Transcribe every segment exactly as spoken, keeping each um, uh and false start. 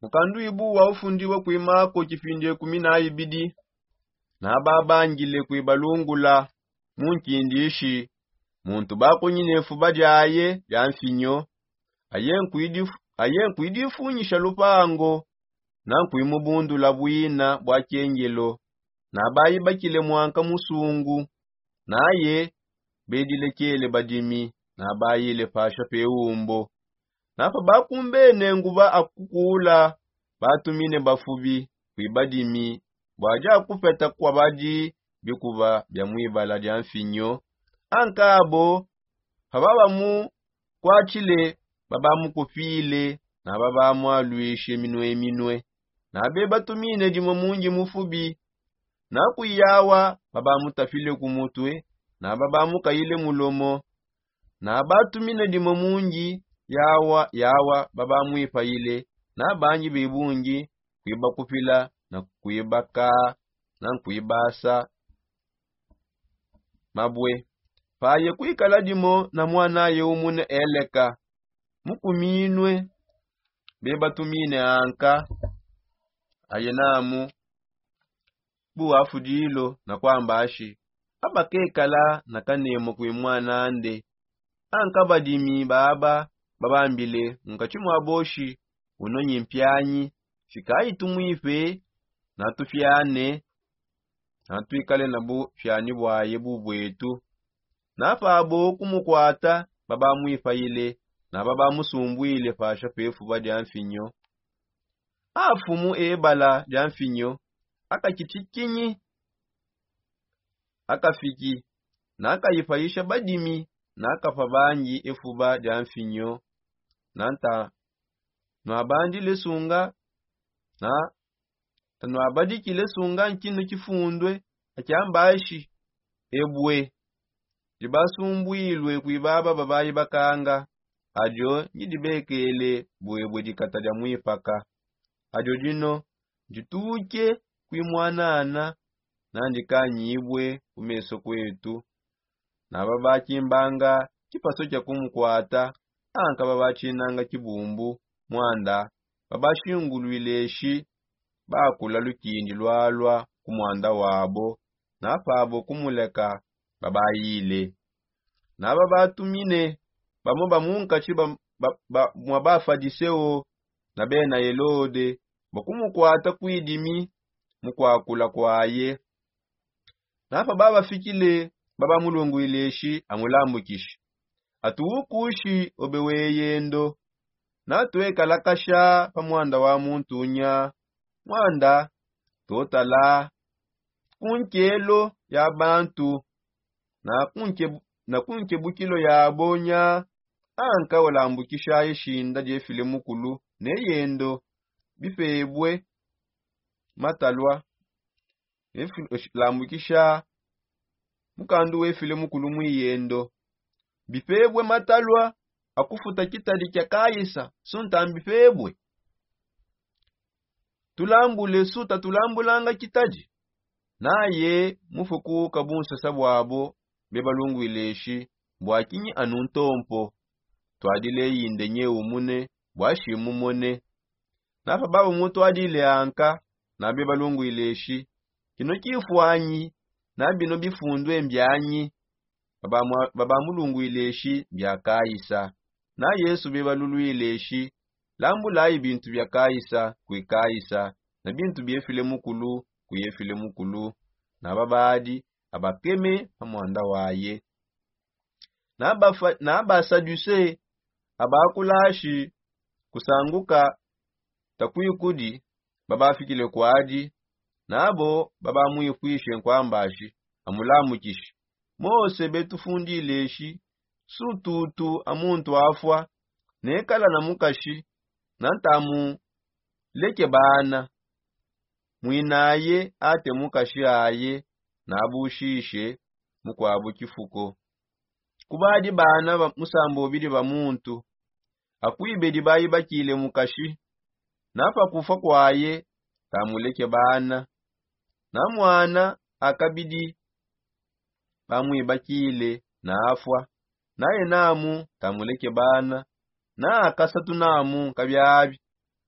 Mukanduibu wa ufundibua kuimako kipindi ekumi na ibidi. Nababangile kuibalungula mu nkindishi muntu bakunyine fuba diaye dia mfinyo, aye nkuidifunyisha lupango na nkuimubundula buina bua kiengelo. Nabaibakile muanka musungu naye bedilekele badimi. Nabaile pasha pe umbo napa bakumbene nguba akukula batumine bafubi kuibadimi bua dia kupeta kuabadi bikuba bia muibala dia mfinyo. Ankabo pababamukuatshile babamukupile na babamualuishe minue minue. Na bebatumine dimue mungi mufubi na kuyawa babamutafile ku mutue na babamukayile mulomo. Na batumine dimue mungi yawa yawa babamuipayile na bangi bebungi kuibakupila na kuibakaa na nkuibasa mabue. Paye kuikala dimo na muanaye umune eleka mukuminue bebatumine anka aye namu buafudilo na kuamba ashi abakekala na kanemo kui muanande. Anka badimi baba babambile nkatshi mua boshi unonyi mpianyi fikayi tumuipe na tufiane na tuikale na bufiani buaye bubuetu. Na pabo kumukuata babamuipayile na babamusumbuile pasha pefuba dia mfinyo. Afumu ebala dia mfinyo akakitikinyi akafiki na akayipayisha badimi na akapa bangi efuba dia mfinyo. Na nta nuabandile sunga na nta nuabadikile sunga nkino kifundue akiambashi ebue dibasumbuilue kui baba babayi bakanga. Adio ndidibekele buebue dikata dia muipaka. Adio dino ndituke kui muanana na ndikanyibue ku meso kuetu. Na babakimbanga kipaso kia kumukuata anka babatshinanga kibumbu muanda babashinguluileshi bakula lukindi lualua ku muanda wabo na pabo kumuleka babayile. Na babatumine bamue ba munkatshi mua bafadiseo na bena helode bua kumukuata kuidimi mu kuakula kuaye. Na pababafikile babamulunguileshi amulambukishe atuukushi obe weyendo. Na tuekalakasha pa muanda wa muntu nya muanda tuotala ku nkelo ya bantu na ku nkebukilo yabo nya anka walambukishaye shinda diefile mukulu ne yendo bipebue matalua. Lambukisha mukandu wefile mukulu muiyendo bipebue matalua akufuta kitadi kia kaisa sunta mbipebue. Tulambule suta tulambulanga kitadi naye mufuku kabunsasa buabo. Bebalunguileshi mbua kinyi anu ntompo tuadile yinde nye umune bua shimumone. Napa baba mutuadile anka na bebalunguileshi kino kifuanyi na bino bifundue mbianyi? Babamulunguileshi mbia kaisa. Na yesu bebaluluileshi lambulayi bintu bia kaisa kui kaisa na bintu biefile mukulu kui efile mukulu. Na babadi abakeme pa muanda waye. Na basaduse abakulashi kusanguka takuikudi babafikile kuadi. Nabo babamuipuishe nkuambashi amulambukishe mose betufundileshi sututu a muntu afua nekala na mukashi na ntamuleke bana muinaye ate mukashi aye nabushishe mukuabu kifuko. Kubadi bana musambobidi ba muntu akuibedi bayibakile mukashi na pa kufua kuaye tamuleke bana na muana akabidi bamuibakile na afua naye namu tamuleke bana na akasatu namu nkabiabi.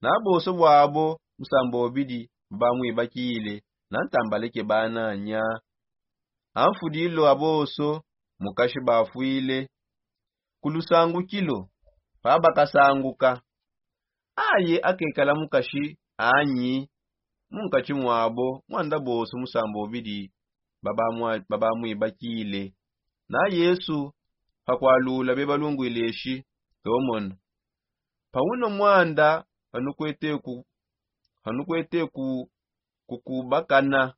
Na boso bwabo musamba obidi babamwibakile, na ntambala ke bananya. Amfudilo aboso mukashi bafwile. Ku lusangukilo pabakasanguka, aye akekala mukashi anyi? Munkatshi mwabo mwanda boso musamba obidi babamwibakile. Na yesu pakwalula bebalungwile eshi, tomona pauno mwanda panukwete ku panukwete ku kukubakana.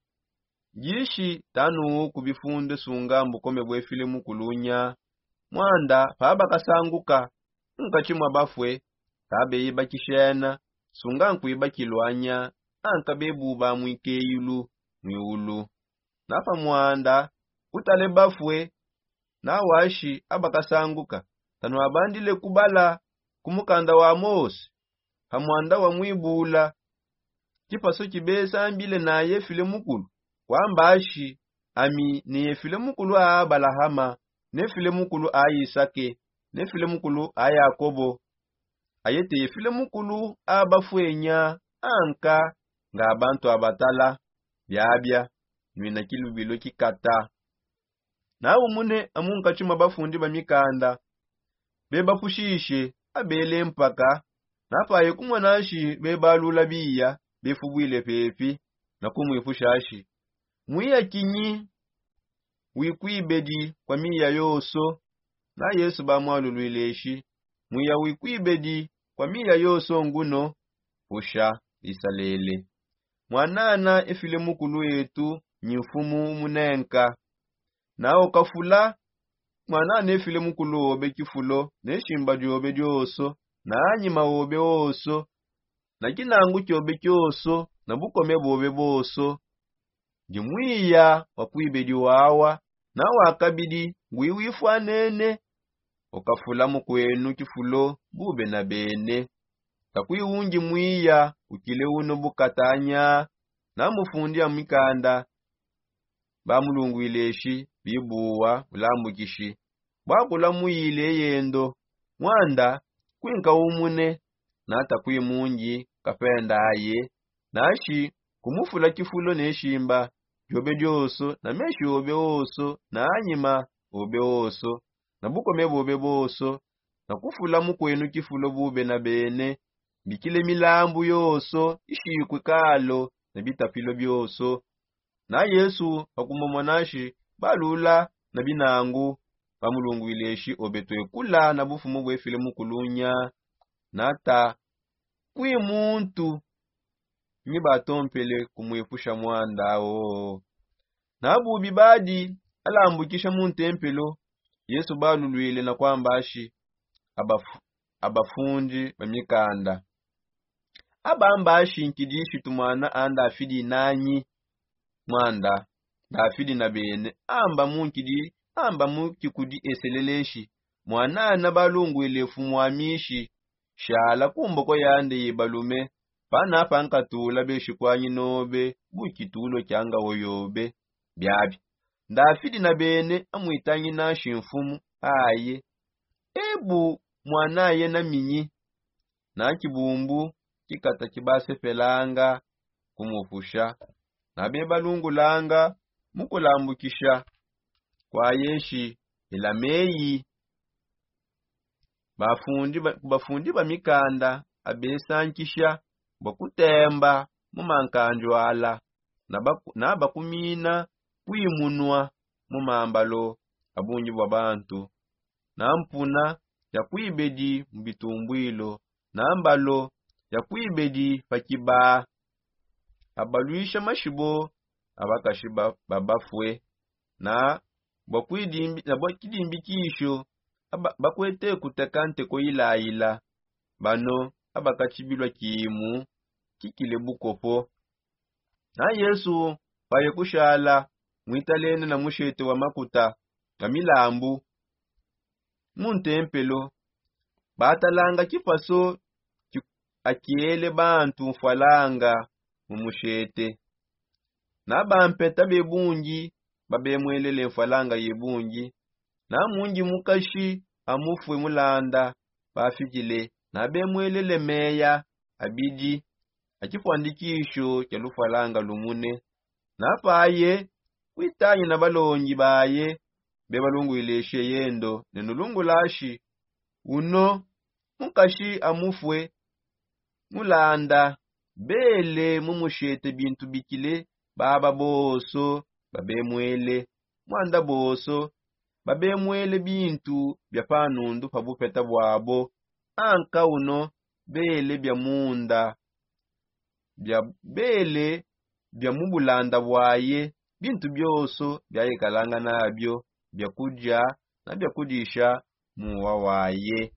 Jishi tanuwu ku bifunde sunga mbukome bwefile mukulunya. Mwanda pabakasanguka munkatshi mwa bafwe, pabeyibakishena sunga nkwibakilwanya anka bebu bamwikeyulu mwiulu. Na pamwanda utale bafwe na washi abakasanguka, tanwabandile kubala ku mukanda wa mose pamwanda wa mwibula? Kipaso kibesambile na yefile mukulu kwamba ashi, ami neyefile mukulu a abalahama, nefile mukulu a isake, nefile mukulu a yakobo. Aye teyefile mukulu a bafwenya anka nga bantu abatala. Biabia nwina kilubilo kikata. Na umune amunkatshi mwa bafundi ba mikanda bebapushishe abele mpaka. Na paye kumona nshi bebalula biya befubwile pepi na kumwipusha nshi, mwiya kinyi wikwibedi kwa miya yoso? Na yesu bamwalulwile nshi, mwiya wikwibedi kwa miya yoso nguno, pusha isalele. Mwanana efile mukulu etu nyi mfumu umunenka. Na okafula mwanana efile mukulu obe kifulo neshimba diobe dioso, na anyima obe oso, na kinangu kiobe kioso, na bukome bobe boso. Ndi mwiya wakwibedi wawa na wakabidi ngwiwifwanene. Okafula mukwenu kifulo bube na bene. Takwiwungi mwiya ukile uno bukatanya. Na mufundi a mikanda bamulungwile nshi, bibuwa ulambukishi bwakula muyile yendo. Mwanda kwinka umune na takwimungi kapenda aye, nanshi kumufula kifulo ne shimba diobe dioso na meshi obe oso na anyima obe oso na bukome bobe boso, na kufula mukwenu kifulo bube na bene. Mbikile milambu yoso ishikwe kalo na bitapilo bioso. Na yesu pakumomona nshi balula na binangu bamulungwile nshi obe twekula na bufumu bwefile mukulunya. Na ta kwi muntu nyi batompele kumwipusha mwanda wo. Na bubi badi alambukisha mu ntempelo yesu balulwile na kwamba nshi, abafundi ba mikanda abamba nshi nkidi shitu mwana a ndafidi nanyi? Mwanda ndafidi na bene amba mu nkidi amba mu kikudi eselele nshi, mwanana balungwile nfumu ami nshi, shala ku mboko yande ye balume. Pana pankatula beshikwanyi nobe bu kitulo kya ngawo yobe. Biabi ndafidi na bene amwitangina nshi nfumu aye. Ebu mwana aye na minyi? Na kibumbu kikata kibasepelanga kumupusha na bebalungulanga mukulambukisha kwa yeshi elameyi. Bafundi ba mikanda abesankisha bua kutemba mu mankanju ala na bakumina kwimunua mu mambalo a bungi bua bantu. Na mpuna ya kuibedi mu bitumbuilo na mbalo ya kuibedi pa kibaa. Abaluisha mashibo a bakashi ba bafue na bua kidimbikisho bakuete kuteka nteko ilayila. Bano abakatshibilua kimu kikile bukopo. Na yesu paye kushala muitalene na mushete wa makuta ga milambu mu ntempelo, batalanga kipaso akiele bantu mfwalanga mu mushete. Na bampeta be bungi babemwelele mfwalanga ye bungi. Na mungi mukashi amufue mulanda bafidile na bemwelele meya. abidi a tshipuandikisho tshia lufwalanga lumune. Napaye kuitanyina balongi baye bebalunguile sheyendo ne nulungulashi uno mukashi amufue mulanda bele mumushete bintu bikile baba bonso babemwele mwanda bonso babemwele bintu bia panundu pa bupeta bwabo. Anka uno bele bia munda bia bele bia mu bulanda bwaye bintu bionso biayekalanga nabio bia kudia na bia kudisha muwa waye.